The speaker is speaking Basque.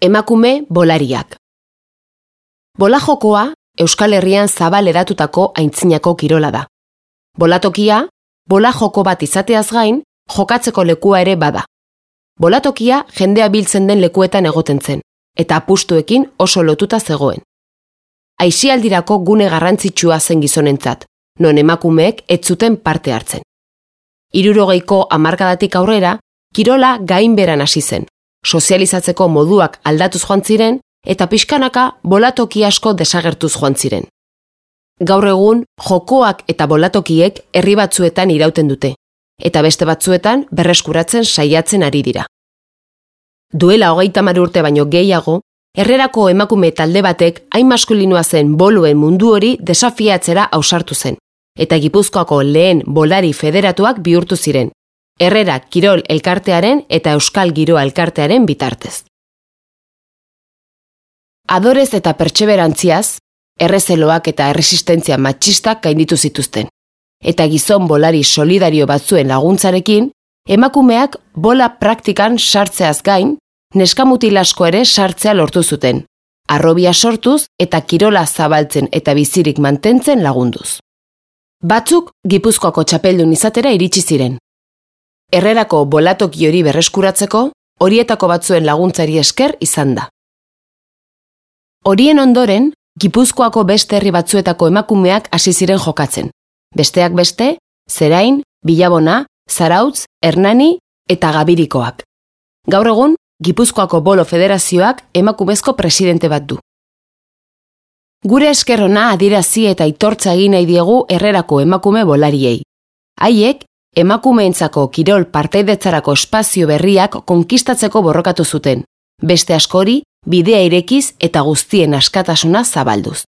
Emakume bolariak. Bola jokoa Euskal Herrian zabal edatutako aintzinako kirola da. Bolatokia, bola joko bat izateaz gain, jokatzeko lekua ere bada. Bolatokia jendea biltzen den lekuetan egoten zen, eta apustuekin oso lotuta zegoen. Aisialdirako gune garrantzitsua zen gizonentzat, non emakumeek ez zuten parte hartzen. 60ko hamarkadatik aurrera, kirola gainberan hasi zen. Sozializatzeko moduak aldatuz joan ziren eta pixkanaka bolatoki asko desagertuz joan ziren. Gaur egun jokoak eta bolatokiek herri batzuetan irauten dute, eta beste batzuetan berreskuratzen saiatzen ari dira. Duela 30 urte baino gehiago, Herrerako emakume talde batek hain maskulinoa zen boluen mundu hori desafiatzera ausartu zen, eta Gipuzkoako lehen bolari federatuak bihurtu ziren. Herrera Kirol Elkartearen eta Euskal Giroa Elkartearen bitartez. Adorez eta pertseberantziaz, errezeloak eta erresistentzia matxistak gainditu zituzten. Eta gizon bolari solidario batzuen laguntzarekin, emakumeak bola praktikan sartzeaz gain, neskamutil asko ere sartzea lortu zuten, harrobia sortuz eta kirola zabaltzen eta bizirik mantentzen lagunduz. Batzuk Gipuzkoako txapeldun izatera iritsi ziren. Herrerako bolatoki hori berreskuratzeko, horietako batzuen laguntzari esker izan da. Horien ondoren, Gipuzkoako beste herri batzuetako emakumeak hasi ziren jokatzen. Besteak beste, Zerain, Bilabona, Zarautz, Hernani eta Gabirikoak. Gaur egun, Gipuzkoako Bolo Federazioak emakumezko presidente bat du. Gure esker ona adierazi eta aitortza egin nahi diegu Herrerako emakume bolariei. Haiek, emakumeentzako kirol partaidetzarako espazio berriak konkistatzeko borrokatu zuten, beste askori bidea irekiz eta guztien askatasuna zabalduz.